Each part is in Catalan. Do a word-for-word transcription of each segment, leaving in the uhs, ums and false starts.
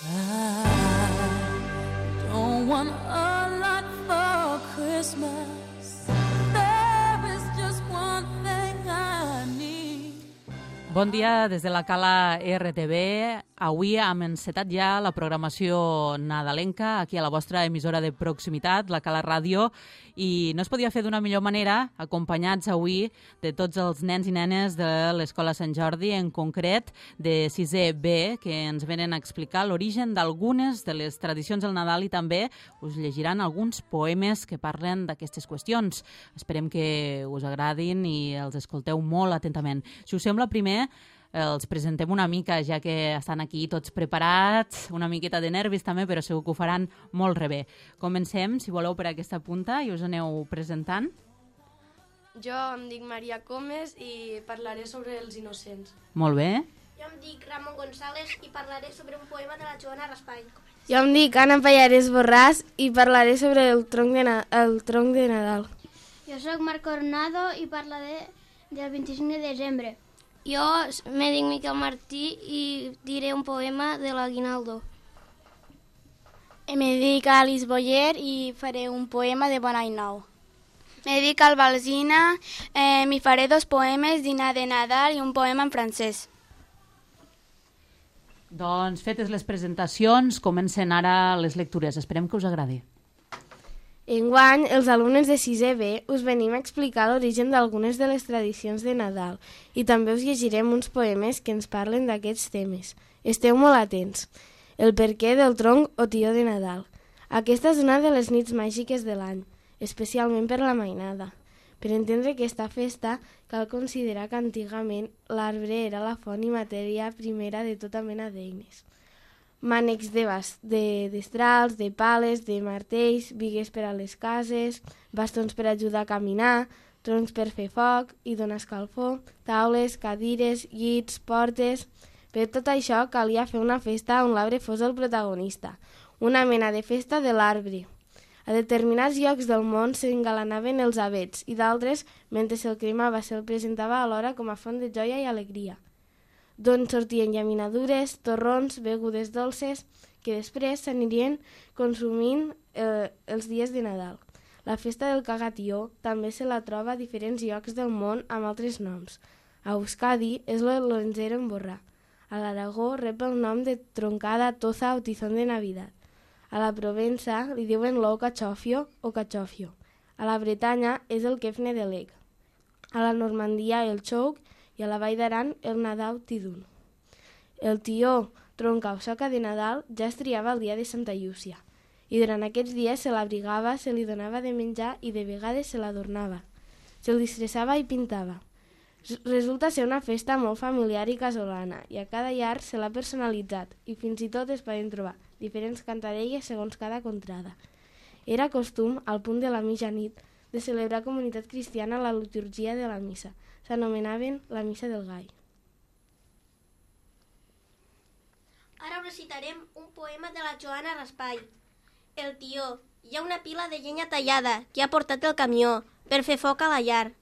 I don't want a lot for Christmas. There is just one thing I need. Bon dia des de la Cala R T V. Avui hem encetat ja la programació nadalenca aquí a la vostra emissora de proximitat, la Cala Ràdio, i no es podia fer d'una millor manera, acompanyats avui de tots els nens i nenes de l'Escola Sant Jordi, en concret de sisè B, que ens venen a explicar l'origen d'algunes de les tradicions del Nadal i també us llegiran alguns poemes que parlen d'aquestes qüestions. Esperem que us agradin i els escolteu molt atentament. Si us sembla, primer els presentem una mica, ja que estan aquí tots preparats, una miqueta de nervis també, però segur que ho faran molt re bé. Comencem, si voleu, per aquesta punta i us aneu presentant. Jo em dic Maria Comes i parlaré sobre els innocents. Molt bé. Jo em dic Ramon González i parlaré sobre un poema de la Joana Raspall. Jo em dic Anna Pallares Borràs i parlaré sobre el tronc de, Na- el tronc de Nadal. Jo sóc Marc Coronado i parlaré del vint-i-cinc de desembre. Jo me dic Miquel Martí i diré un poema de l'Aguinaldo. Me dic Alice Boyer i faré un poema de Bon Any Nou. Me dic Albalsina eh, i faré dos poemes d'Ina de Nadal i un poema en francès. Doncs fetes les presentacions, comencen ara les lectures. Esperem que us agradi. Enguany, els alumnes de sisè B us venim a explicar l'origen d'algunes de les tradicions de Nadal i també us llegirem uns poemes que ens parlen d'aquests temes. Esteu molt atents. El perquè del tronc o tió de Nadal. Aquesta és una de les nits màgiques de l'any, especialment per la mainada. Per entendre aquesta festa, cal considerar que antigament l'arbre era la font i matèria primera de tota mena d'eines. Mànecs de bas- de destrals, de pales, de martells, bigues per a les cases, bastons per ajudar a caminar, troncs per fer foc i donar escalfor, taules, cadires, llits, portes... Per tot això calia fer una festa on l'arbre fos el protagonista, una mena de festa de l'arbre. A determinats llocs del món s'engalanaven els avets i d'altres, mentre se'l cremava, se'l presentava alhora com a font de joia i alegria, d'on sortien llaminadures, torrons, begudes dolces, que després s'anirien consumint eh, els dies de Nadal. La festa del cagatió també se la troba a diferents llocs del món amb altres noms. A Euskadi és l'onzero en borrà. A l'Aragó rep el nom de troncada, toza o tizón de Navidad. A la Provença li diuen l'ou cachofio o cachofio. A la Bretanya és el kefne de l'eg. A la Normandia el xouc i a la Vall d'Aran el Nadal Tidun. El tió, tronca o soca de Nadal ja es triava el dia de Santa Llúcia i durant aquests dies se l'abrigava, se li donava de menjar i de vegades se l'adornava. Se'l disfressava i pintava. Resulta ser una festa molt familiar i casolana i a cada llar se l'ha personalitzat i fins i tot es poden trobar diferents cantarelles segons cada contrada. Era costum, al punt de la mitjanit, de celebrar comunitat cristiana la liturgia de la missa. S'anomenaven la missa del gall. Ara recitarem un poema de la Joana Raspall. El tió. Hi ha una pila de llenya tallada que ha portat el camió per fer foc a la llar.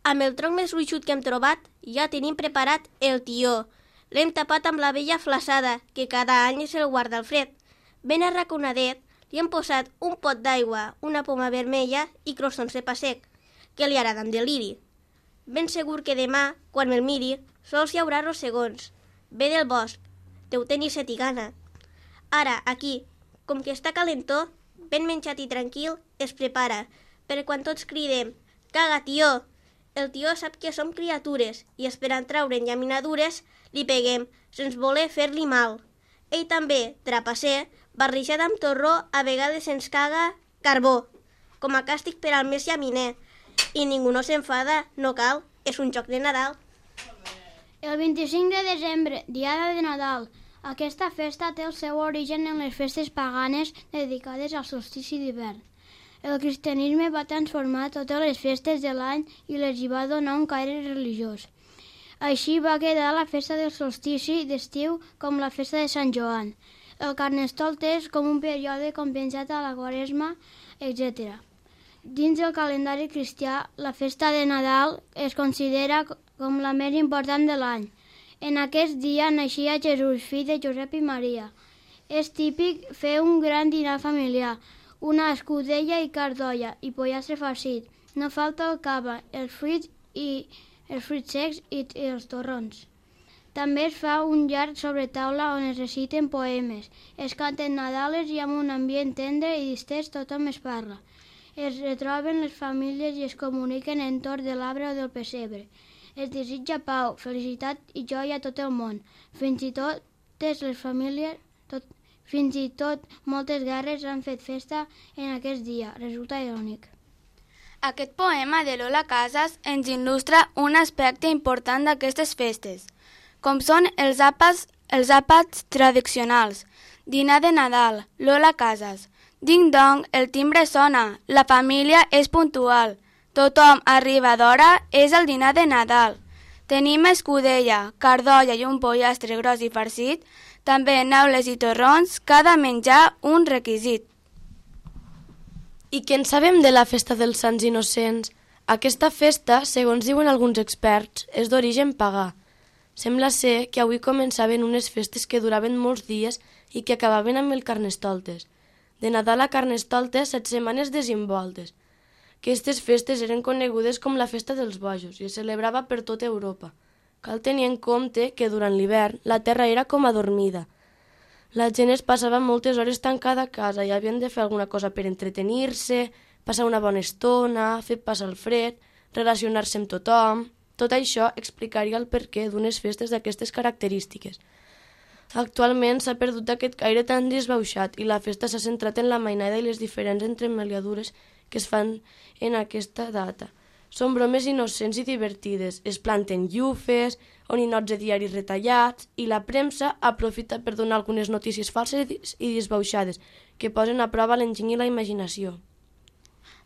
Amb el tronc més gruixut que hem trobat ja tenim preparat el tió. L'hem tapat amb la vella flaçada, que cada any és el guarda al fred. Ben arraconadet, li hem posat un pot d'aigua, una poma vermella i croissons de pa sec, que li agrada amb deliri. Ben segur que demà, quan me'l miri, sols hi haurà rossegons. Ve del bosc, deu tenir set i gana. Ara, aquí, com que està calentó, ben menjat i tranquil, es prepara, per quan tots cridem «Caga, tió!». El tió sap que som criatures i esperant traure'n llaminadures li peguem, sense voler fer-li mal. Ell també, trapasser, barrejat amb torró, a vegades ens caga carbó, com a càstig per al més llaminer. I ningú no s'enfada, no cal, és un joc de Nadal. El vint-i-cinc de desembre, diada de Nadal. Aquesta festa té el seu origen en les festes paganes dedicades al solstici d'hivern. El cristianisme va transformar totes les festes de l'any i les hi va donar un caire religiós. Així va quedar la festa del solstici d'estiu com la festa de Sant Joan, el Carnestoltes com un període compensat a la Quaresma, etcètera. Dins del calendari cristià, la festa de Nadal es considera com la més important de l'any. En aquest dia naixia Jesús, fill de Josep i Maria. És típic fer un gran dinar familiar, una escudella i cardolla i pollastre farcit. No falta el cava, els fruits i els fruits secs i, i els torrons. També es fa un llarg sobretaula on es reciten poemes, es canten nadales i amb un ambient tendre i distès tothom es parla. Es retroben les famílies i es comuniquen entorn de l'arbre o del pessebre. Es desitja pau, felicitat i joia a tot el món. Fins i tot les famílies, tot, fins i tot moltes guerres han fet festa en aquest dia. Resulta irònic. Aquest poema de Lola Casas ens il·lustra un aspecte important d'aquestes festes, com són els àpats, els àpats tradicionals. Dinar de Nadal, Lola Casas. Ding-dong, el timbre sona, la família és puntual, tothom arriba d'hora, és el dinar de Nadal. Tenim escudella, cardolla i un pollastre gros i farcit, també neules i torrons, cada menjar un requisit. I què en sabem de la festa dels Sants Innocents? Aquesta festa, segons diuen alguns experts, és d'origen pagà. Sembla ser que avui començaven unes festes que duraven molts dies i que acabaven amb el Carnestoltes. De Nadal a Carnestoltes, set setmanes desimboltes. Aquestes festes eren conegudes com la Festa dels Bojos i es celebrava per tota Europa. Cal tenir en compte que durant l'hivern la terra era com adormida. La gent es passava moltes hores tancada a casa i havien de fer alguna cosa per entretenir-se, passar una bona estona, fer passar el fred, relacionar-se amb tothom. Tot això explicaria el perquè d'unes festes d'aquestes característiques. Actualment s'ha perdut aquest caire tan desbauxat i la festa s'ha centrat en la mainada i les diferents entremaliadures que es fan en aquesta data. Són bromes innocents i divertides, es planten llufes o ninots de diaris retallats i la premsa aprofita per donar algunes notícies falses i desbauxades que posen a prova l'enginy i la imaginació.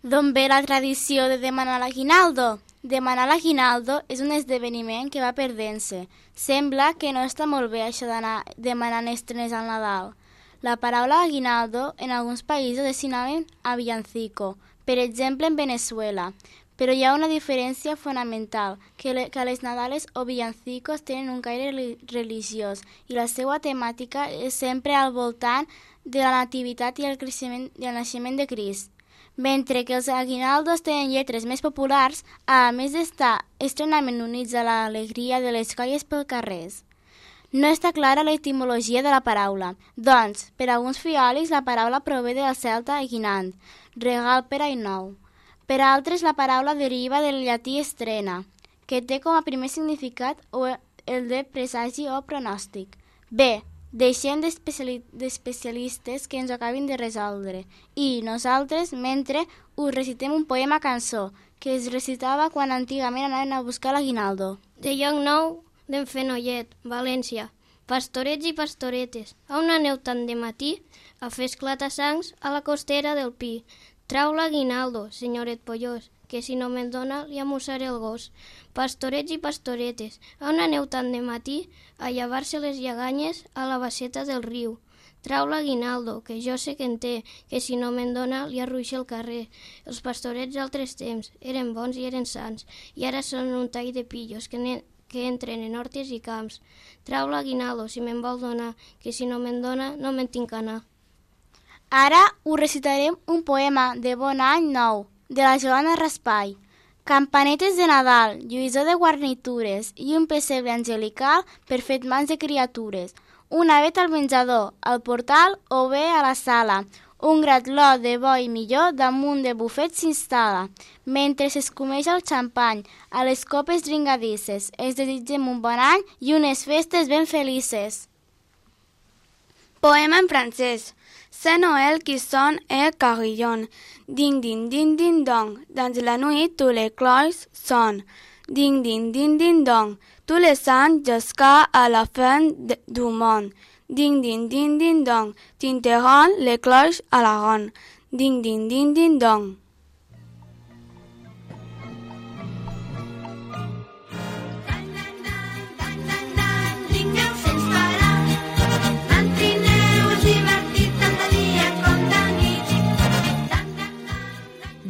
D'on ve la tradició de demanar l'aguinaldo? Demanar l'aguinaldo és un esdeveniment que va perdent-se. Sembla que no està molt bé això d'anar demanant estrenes al Nadal. La paraula aguinaldo en alguns països és sinònim a villancico, per exemple en Venezuela. Però hi ha una diferència fonamental, que, le, que les Nadales o villancicos tenen un caire religiós i la seva temàtica és sempre al voltant de la nativitat i el, creixement, i el naixement de Crist. Mentre que els aguinaldos tenen lletres més populars, a més d'estar estrenament units a l'alegria de les colles pels carrers. No està clara l'etimologia de la paraula, doncs, per alguns fiolis la paraula prové del celta aguinand, regal per any nou. Per altres la paraula deriva del llatí estrena, que té com a primer significat el de presagi o pronòstic. Bé, deixem d'especialistes que ens ho acabin de resoldre. I nosaltres, mentre, us recitem un poema cançó que es recitava quan antigament anaven a buscar l'aguinaldo. De Lloc Nou, d'en Fenollet, València. Pastorets i pastoretes, on aneu tant de matí a fer esclata-sangs a la costera del Pi? Trau l'aguinaldo, senyoret Pollós, que si no me'n dona li amussaré el gos. Pastorets i pastoretes, on aneu tant de matí a llevar-se les lleganyes a la basseta del riu? Trau l'aguinaldo, que jo sé que en té, que si no me'n dona li arruixa el carrer. Els pastorets d'altres temps eren bons i eren sants, i ara són un tall de pillos que, ne, que entren en hortes i camps. Trau l'aguinaldo, si me'n vol donar, que si no me'n dona no me'n tinc anar. Ara us recitarem un poema de Bon Any Nou, de la Joana Raspall. Campanetes de Nadal, lluïssor de guarnitures i un pessebre angelical per fet mans de criatures. Una vet al menjador, al portal o bé a la sala. Un gratló de bo i millor damunt de bufet s'instal·la. Mentre s'escumeix el xampany, a les copes dringadisses, es desitgem un bon any i unes festes ben felices. Poema en francès. C'est Noël qui sonne et carillonne. Ding, ding, ding, ding, dong. Dans la nuit, tous les cloches sonnent. Ding, ding, ding, ding, dong. Tous les saints jusqu'à la fin de, du monde. Ding, ding, ding, ding, dong. Tinteront les cloches à la ronde. Ding, ding, ding, ding, dong.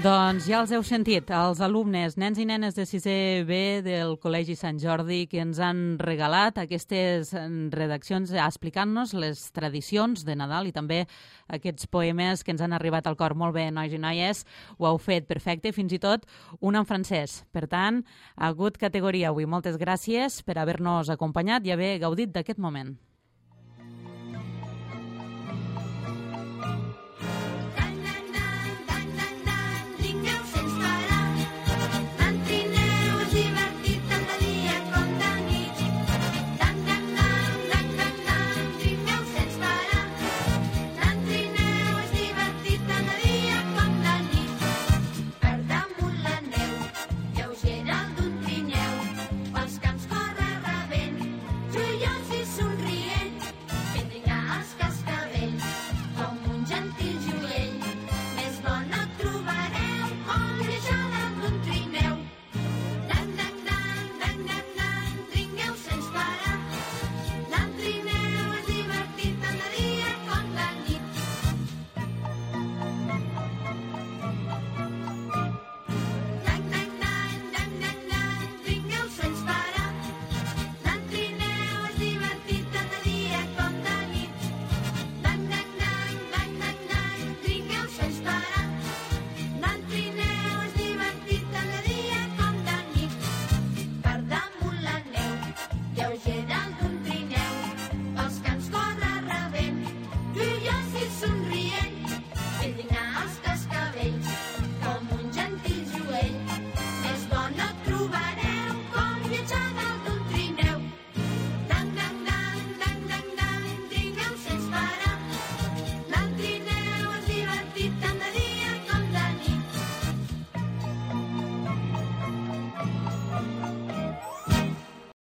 Doncs ja ja els heu sentit, els alumnes, nens i nenes de sisè B del Col·legi Sant Jordi, que ens han regalat aquestes redaccions explicant-nos les tradicions de Nadal i també aquests poemes que ens han arribat al cor. Molt bé, nois i noies, ho heu fet perfecte, fins i tot un en francès. Per tant, ha hagut categoria avui. Moltes gràcies per haver-nos acompanyat i haver gaudit d'aquest moment.